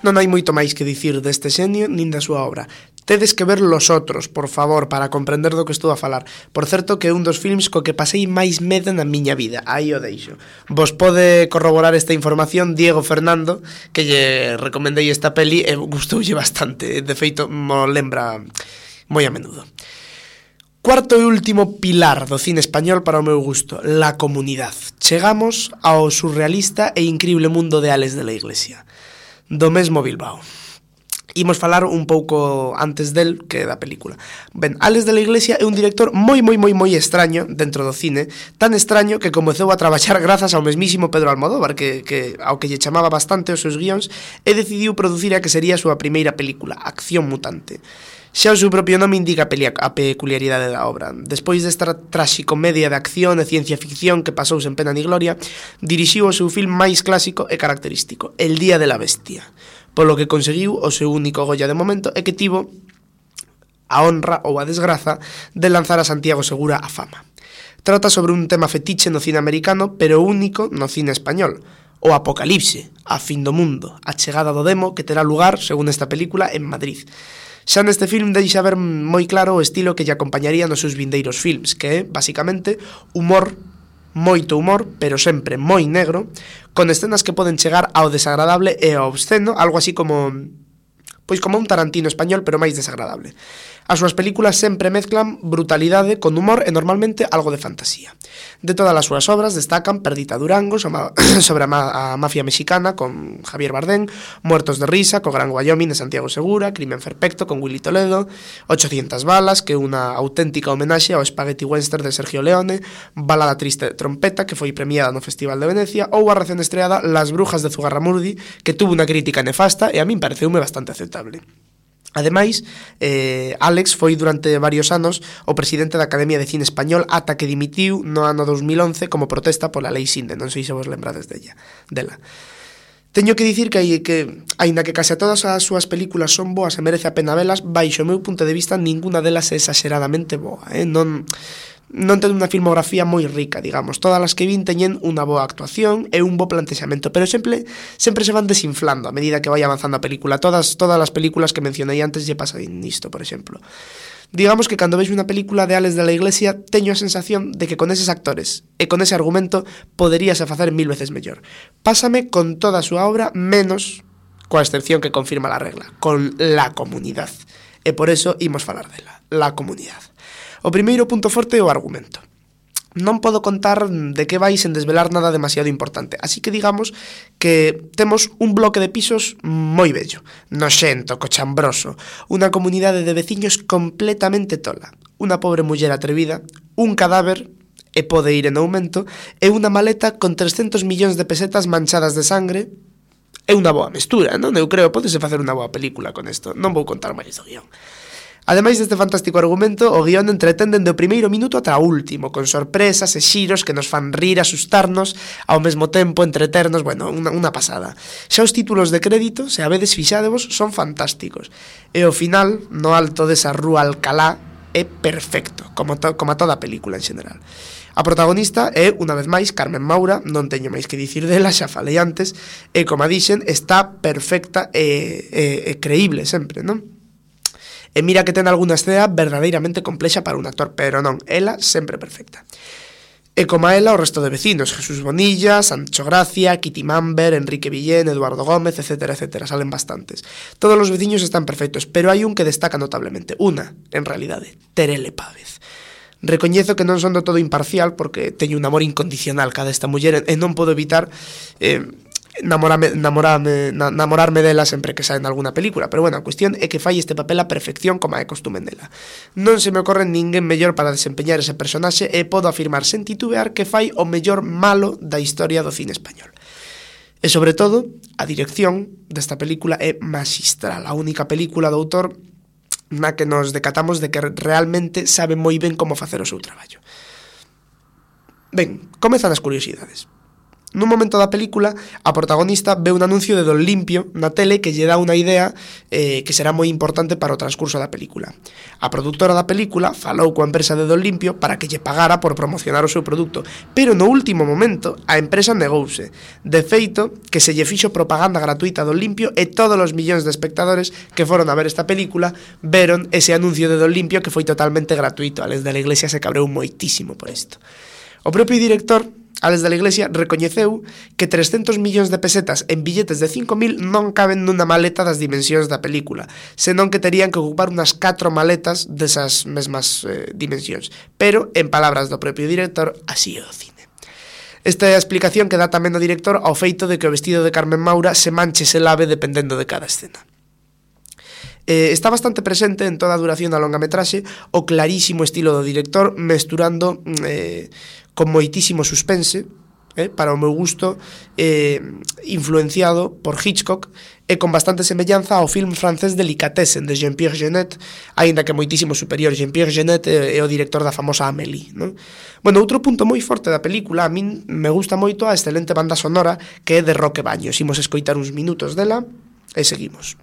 Non hai moito máis que dicir deste xenio nin da súa obra. Tedes que ver Los Otros, por favor, para comprender do que estou a falar. Por certo, que é un dos films co que pasei máis medo na miña vida. Aí o deixo. Vos pode corroborar esta información Diego Fernando, que lle recomendei esta peli e gustoulle bastante. De feito, mo lembra moi a menudo. Cuarto e último pilar do cine español para o meu gusto, La Comunidad. Chegamos ao surrealista e incrible mundo de Álex de la Iglesia, do mesmo Bilbao. Imos falar un pouco antes del que da película. Ben, Álex de la Iglesia é un director moi, moi, moi, moi extraño dentro do cine, tan extraño que comezou a traballar grazas ao mesmísimo Pedro Almodóvar, que, que ao que lle chamaba bastante os seus guións, e decidiu producir a que sería a súa primeira película, Acción Mutante. Xa o seu propio nome indica a peculiaridade da obra. Despois desta traxicomedia de acción e ciencia ficción que pasou sen pena ni gloria, dirixiu o seu film máis clásico e característico, El Día de la Bestia, polo que conseguiu o seu único Goya de momento e que tivo a honra ou a desgraza de lanzar a Santiago Segura a fama. Trata sobre un tema fetiche no cine americano, pero único no cine español, o apocalipse, a fin do mundo, a chegada do demo que terá lugar, según esta película, en Madrid. Xa neste film deixa ver moi claro o estilo que lle acompañaría nos seus vindeiros films, que é, basicamente, humor, moito humor, pero sempre moi negro, con escenas que poden chegar ao desagradable e ao obsceno, algo así como pois como un Tarantino español, pero máis desagradable. As súas películas sempre mezclan brutalidade con humor e normalmente algo de fantasía. De todas as súas obras destacan Perdita Durango, sobre a, ma a mafia mexicana con Javier Bardem, Muertos de risa, co Gran Wyoming de Santiago Segura, Crimen perfecto con Willy Toledo, ochocientas balas, que é unha auténtica homenaxe ao Spaghetti Western de Sergio Leone, Balada triste de trompeta, que foi premiada no Festival de Venecia, ou a recén estreada Las brujas de Zugarramurdi, que tuvo unha crítica nefasta e a min pareceume bastante aceptable. Ademais, eh, Álex foi durante varios anos o presidente da Academia de Cine Español ata que dimitiu no ano dos mil once como protesta pola Lei Sinde, non sei se vos lembrades della. dela. Teño que dicir que, que aínda que case todas as súas películas son boas e merece a pena velas, baixo o meu punto de vista ninguna delas é exageradamente boa, eh? non... non ten unha filmografía moi rica, digamos. Todas as que vin teñen unha boa actuación e un bo plantexamento, pero sempre sempre se van desinflando a medida que vai avanzando a película. Todas todas as películas que mencionei antes lle pasa nisto, por exemplo. Digamos que cando vexo unha película de Alex de la Iglesia teño a sensación de que con eses actores e con ese argumento poderíase facer mil veces mellor. Pásame con toda a súa obra, menos coa excepción que confirma la regla, con La Comunidad. E por eso imos falar dela, La Comunidad. O primeiro punto forte é o argumento. Non podo contar de que vai sen desvelar nada demasiado importante, así que digamos que temos un bloque de pisos moi bello, noxento, cochambroso, unha comunidade de veciños completamente tola, unha pobre muller atrevida, un cadáver, e pode ir en aumento, e unha maleta con trescentos millóns de pesetas manchadas de sangre. É unha boa mestura, non? Eu creo, podese facer unha boa película con isto, non vou contar máis do guión. Ademais deste fantástico argumento, o guión entretén dende o primeiro minuto ata o último, con sorpresas e xiros que nos fan rir, asustarnos, ao mesmo tempo entreternos, bueno, unha, unha pasada. Xa os títulos de crédito, se a vedes fixádevos, son fantásticos. E o final, no alto desa rúa Alcalá, é perfecto, como, to, como a toda a película en xeral. A protagonista é, unha vez máis, Carmen Maura, non teño máis que dicir dela, xa falei antes, e, como a dixen, está perfecta e, e, e creíble sempre, non? E mira que ten algunha escena verdadeiramente complexa para un actor, pero non, ela sempre perfecta. E como a ela o resto de vecinos, Jesús Bonilla, Sancho Gracia, Kitty Mamber, Enrique Villén, Eduardo Gómez, etcétera, etcétera, salen bastantes. Todos os veciños están perfectos, pero hai un que destaca notablemente, una, en realidade, Terele Pávez. Recoñezo que non son do todo imparcial porque teño un amor incondicional cada esta muller e non podo evitar eh, Namorame, namorame, na, namorarme dela sempre que sae en alguna película. Pero bueno, a cuestión é que fai este papel a perfección como é costume dela. Non se me ocorre ninguén mellor para desempeñar ese personaxe e podo afirmar sen titubear que fai o mellor malo da historia do cine español. E sobre todo, a dirección desta película é maxistral. A única película do autor na que nos decatamos de que realmente sabe moi ben como facer o seu traballo. Ben, comezan as curiosidades. Nun momento da película, a protagonista ve un anuncio de Don Limpio na tele que lle dá unha idea eh, que será moi importante para o transcurso da película. A produtora da película falou coa empresa de Don Limpio para que lle pagara por promocionar o seu produto, pero no último momento a empresa negouse. De feito, que se lle fixo propaganda gratuita a Don Limpio e todos os millóns de espectadores que foron a ver esta película veron ese anuncio de Don Limpio que foi totalmente gratuito. Ales de la Iglesia se cabreu moitísimo por isto. O propio director, Ales de la Iglesia, recoñeceu que trescentos millóns de pesetas en billetes de cinco mil non caben nunha maleta das dimensións da película, senón que terían que ocupar unhas catro maletas desas mesmas eh, dimensións. Pero, en palabras do propio director, así é o cine. Esta é a explicación que dá tamén o director ao feito de que o vestido de Carmen Maura se manche se lave dependendo de cada escena. Eh, está bastante presente en toda a duración da longametraxe o clarísimo estilo do director, mesturando eh, con moitísimo suspense, eh, para o meu gusto, eh, influenciado por Hitchcock e con bastante semellanza ao film francés Delicatessen de Jean-Pierre Jeunet, aínda que moitísimo superior. Jean-Pierre Jeunet é, é o director da famosa Amélie, non? Bueno, outro punto moi forte da película, a min me gusta moito a excelente banda sonora que é de Roque Baños. Imos escoitar uns minutos dela e seguimos.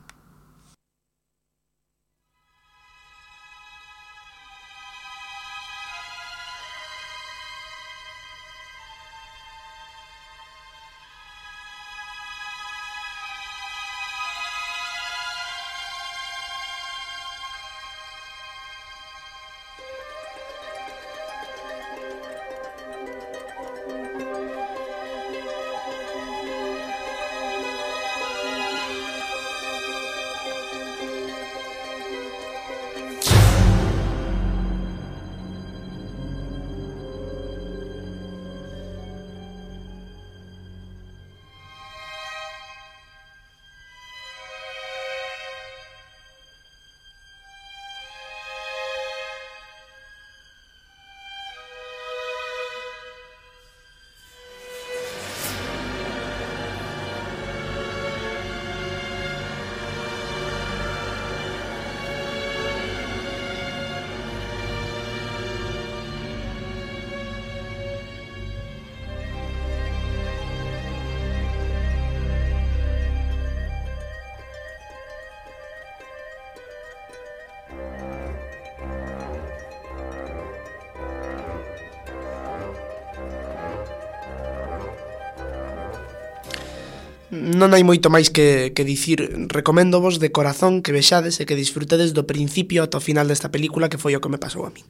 non hai moito máis que, que dicir. Recoméndovos de corazón que vexades e que disfrutedes do principio ata o final desta película, que foi o que me pasou a min.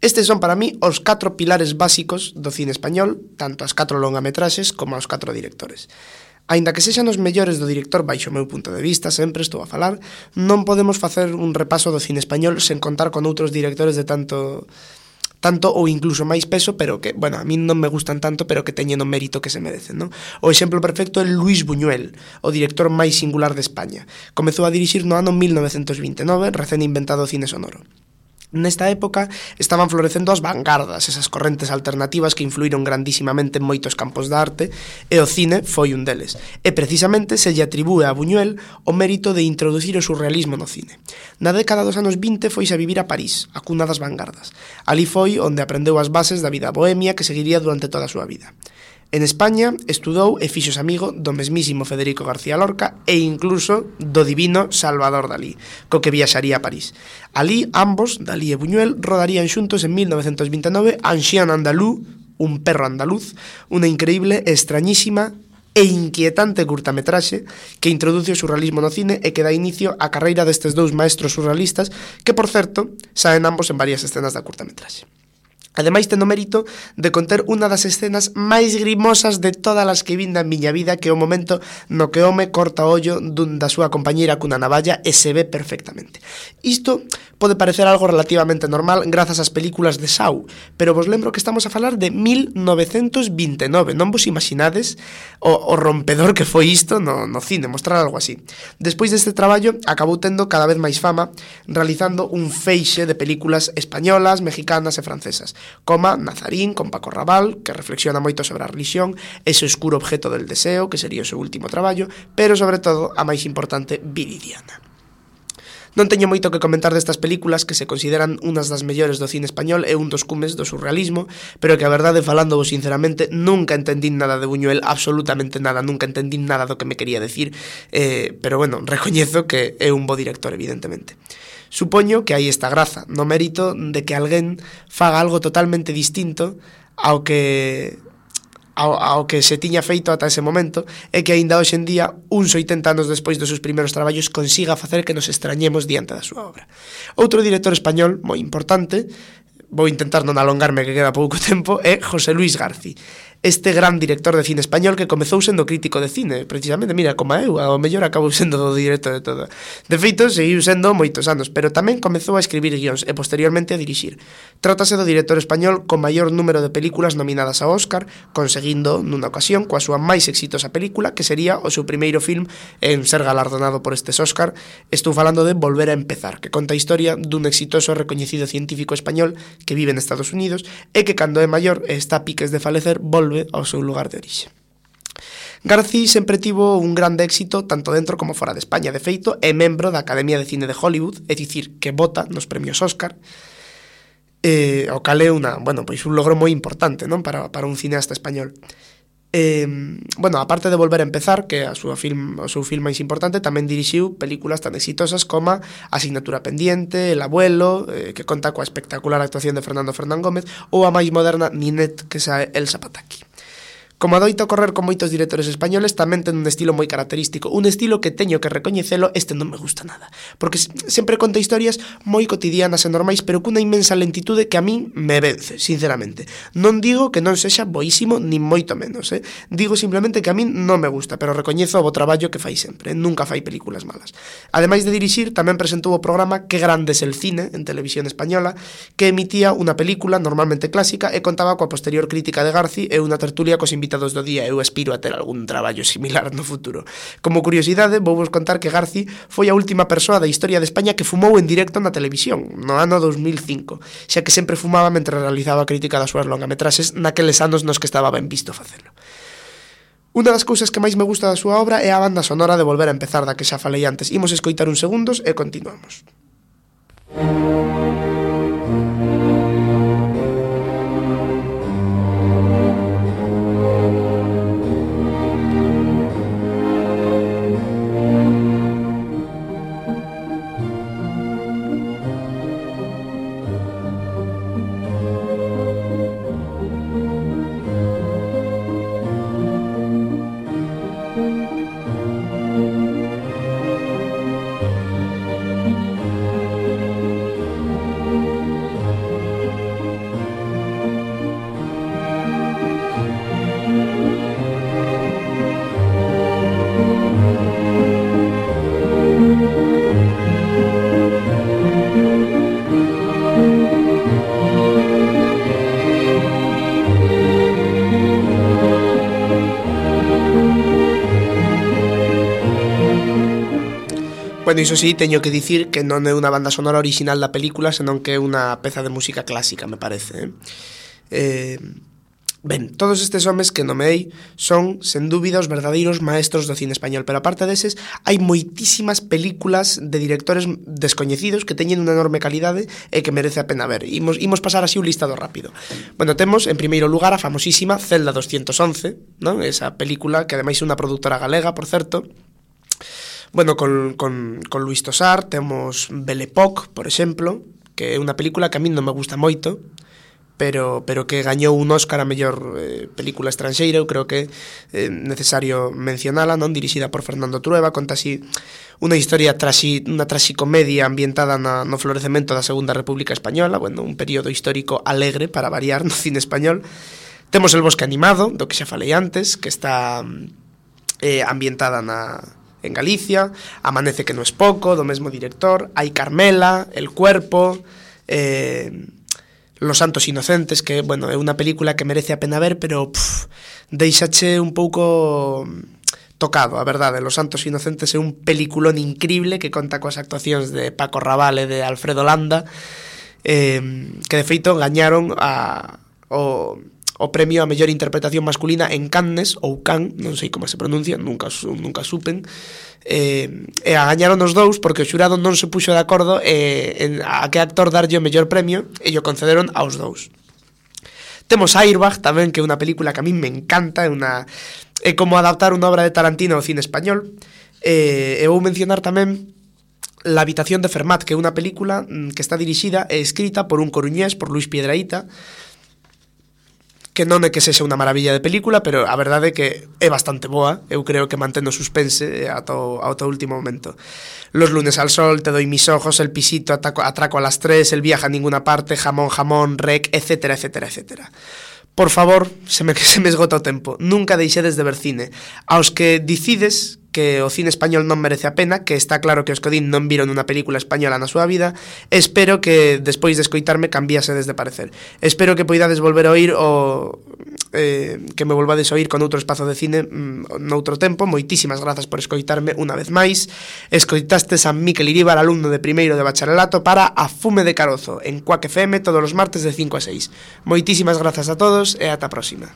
Estes son para mí os catro pilares básicos do cine español, tanto as catro longametraxes como aos catro directores. Aínda que sexan os mellores do director baixo o meu punto de vista, sempre estou a falar, non podemos facer un repaso do cine español sen contar con outros directores de tanto tanto ou incluso máis peso, pero que, bueno, a min non me gustan tanto, pero que teñen o mérito que se merecen, non? O exemplo perfecto é Luis Buñuel, o director máis singular de España. Comezou a dirixir no ano mil novecentos vinte e nove, recén inventado o cine sonoro. Nesta época estaban florecendo as vanguardas, esas correntes alternativas que influíron grandísimamente en moitos campos da arte, e o cine foi un deles. E precisamente se lle atribúe a Buñuel o mérito de introducir o surrealismo no cine. Na década dos anos vinte foise a vivir a París, a cuna das vanguardas. Ali foi onde aprendeu as bases da vida bohemia que seguiría durante toda a súa vida. En España estudou e fixos amigo do mesmísimo Federico García Lorca e incluso do divino Salvador Dalí, co que viaxaría a París. Alí, ambos, Dalí e Buñuel, rodarían xuntos en mil novecentos vinte e nove Un chien andalou, un perro andaluz, unha increíble, extrañísima e inquietante curtametraxe que introduce o surrealismo no cine e que dá inicio á carreira destes dous maestros surrealistas que, por certo, saen ambos en varias escenas da curtametraxe. Ademais, ten o mérito de conter unha das escenas máis grimosas de todas as que vin na miña vida, que é o momento no que o home corta o ollo dun da súa compañeira cunha navalla e se ve perfectamente. Isto pode parecer algo relativamente normal grazas ás películas de Saw, pero vos lembro que estamos a falar de mil novecentos vinte e nove, non vos imaginades o, o rompedor que foi isto no, no cine, mostrar algo así. Despois deste traballo, acabou tendo cada vez máis fama, realizando un feixe de películas españolas, mexicanas e francesas, como Nazarín, con Paco Raval, que reflexiona moito sobre a religión, ese oscuro objeto del deseo, que sería o seu último traballo, pero sobre todo a máis importante, Viridiana. Non teño moito que comentar destas películas que se consideran unhas das mellores do cine español e un dos cumes do surrealismo, pero que a verdade, falándovos sinceramente, nunca entendín nada de Buñuel, absolutamente nada, nunca entendín nada do que me quería decir, eh, pero bueno, recoñezo que é un bo director, evidentemente. Supoño que aí está a graza, no mérito de que alguén faga algo totalmente distinto ao que ao, ao que se tiña feito ata ese momento, e que aínda hoxe en día, uns oitenta anos despois dos seus primeiros traballos, consiga facer que nos extrañemos diante da súa obra. Outro director español moi importante, vou intentar non alongarme que queda pouco tempo, é José Luis Garci. Este gran director de cine español que comezou sendo crítico de cine, precisamente, mira, como eu, ao mellor acabou sendo do director de todo. De feito, seguiu sendo moitos anos, pero tamén comezou a escribir guións e posteriormente a dirixir. Trátase do director español con maior número de películas nominadas ao Óscar, conseguindo, nunha ocasión, coa súa máis exitosa película, que sería o seu primeiro film en ser galardonado por estes Óscar. Estou falando de Volver a empezar, que conta a historia dun exitoso e recoñecido científico español que vive en Estados Unidos e que, cando é maior e está a piques de falecer, volve ao seu lugar de orixe. Garci sempre tivo un grande éxito tanto dentro como fora de España. De feito, é membro da Academia de Cine de Hollywood, é dicir, que vota nos premios Óscar, eh, o cal é unha, bueno, pois un logro moi importante, non, para, para un cineasta español. Eh, bueno, aparte de Volver a empezar, que é a súa film, o seu film máis importante, tamén dirixiu películas tan exitosas como Asignatura pendiente, El abuelo, eh, que conta coa espectacular actuación de Fernando Fernán Gómez, ou a máis moderna Ninette, que sae Elsa Pataky. Como adoita ocorrer con moitos directores españoles, tamén ten un estilo moi característico, un estilo que teño que recoñecelo, este non me gusta nada, porque sempre conta historias moi cotidianas e normais, pero cunha inmensa lentitude que a min me vence, sinceramente. Non digo que non sexa boísimo, ni moito menos, eh? Digo simplemente que a min non me gusta, pero recoñezo o bo traballo que fai sempre, nunca fai películas malas. Ademais de dirixir, tamén presentou o programa Que grande es el cine, en televisión española, que emitía unha película normalmente clásica e contaba coa posterior crítica de Garci e unha tertulia cos invitados do día. Eu aspiro a ter algún traballo similar no futuro. Como curiosidade, vou vos contar que Garci foi a última persoa da historia de España que fumou en directo na televisión, no ano dos mil cinco, xa que sempre fumaba mentre realizaba a crítica das súas longametraxes naqueles anos nos que estaba ben visto facelo. Unha das cousas que máis me gusta da súa obra é a banda sonora de Volver a empezar, da que xa falei antes. Imos escoitar uns segundos e continuamos. Bueno, iso sí, teño que dicir que non é unha banda sonora original da película, senón que é unha peza de música clásica, me parece. Eh? Eh, ben, todos estes homes que nomeei son, sen dúbida, os verdadeiros maestros do cine español, pero aparte deses, hai moitísimas películas de directores descoñecidos que teñen unha enorme calidade e que merece a pena ver. Imos, imos pasar así un listado rápido. Bueno, temos, en primeiro lugar, a famosísima Celda doscientos once, non? Esa película, que ademais é unha produtora galega, por certo. Bueno, con, con, con Luis Tosar temos Belle Époque, por exemplo, que é unha película que a min non me gusta moito, pero, pero que gañou un Óscar a mellor eh, película estranxeira. Eu creo que é eh, necesario mencionala, non? Dirixida por Fernando Trueba, conta así unha historia traxi, unha traxicomedia ambientada na, no florecemento da Segunda República Española, bueno, un período histórico alegre para variar no cine español. Temos El Bosque Animado, do que xa falei antes, que está eh, ambientada na en Galicia, Amanece que no es poco, do mesmo director, hai Carmela, El Cuerpo, eh, Los Santos Inocentes, que, bueno, é unha película que merece a pena ver, pero pff, deixache un pouco tocado, a verdade. Los Santos Inocentes é un peliculón increíble que conta coas actuacións de Paco Raval e de Alfredo Landa, eh, que de feito gañaron a, o... o premio a mellor interpretación masculina en Cannes, ou Cannes, non sei como se pronuncia, nunca, nunca supen, eh, e a gañaron os dous porque o xurado non se puxo de acordo eh, en a que actor darlle o mellor premio, e o concederon aos dous. Temos Airbag tamén, que é unha película que a mí me encanta, é, unha, é como adaptar unha obra de Tarantino ao cine español, eh, e vou mencionar tamén La habitación de Fermat, que é unha película que está dirixida e escrita por un coruñés, por Luis Piedrahita, que non é que sexa unha maravilla de película, pero a verdade é que é bastante boa. Eu creo que mantén o suspense ata o, ata o último momento. Los lunes al sol, Te doy mis ojos, El pisito, ataco, Atraco a las tres, El viaje a ninguna parte, Jamón, jamón, Rec, etcétera, etcétera, etcétera. Por favor, se me, se me esgota o tempo, nunca deixedes de ver cine. Aos que dicides que o cine español non merece a pena, que está claro que os Codín non viron unha película española na súa vida, espero que despois de escoitarme cambiasedes de parecer. Espero que poidades volver a oír o eh, que me volvades a oír con outro espazo de cine mm, noutro tempo. Moitísimas grazas por escoitarme unha vez máis. Escoitastes a Miquel Iríbar, alumno de primeiro de bacharelato, para A Fume de Carozo en Cuac F M todos os martes de cinco a seis. Moitísimas grazas a todos e ata a próxima.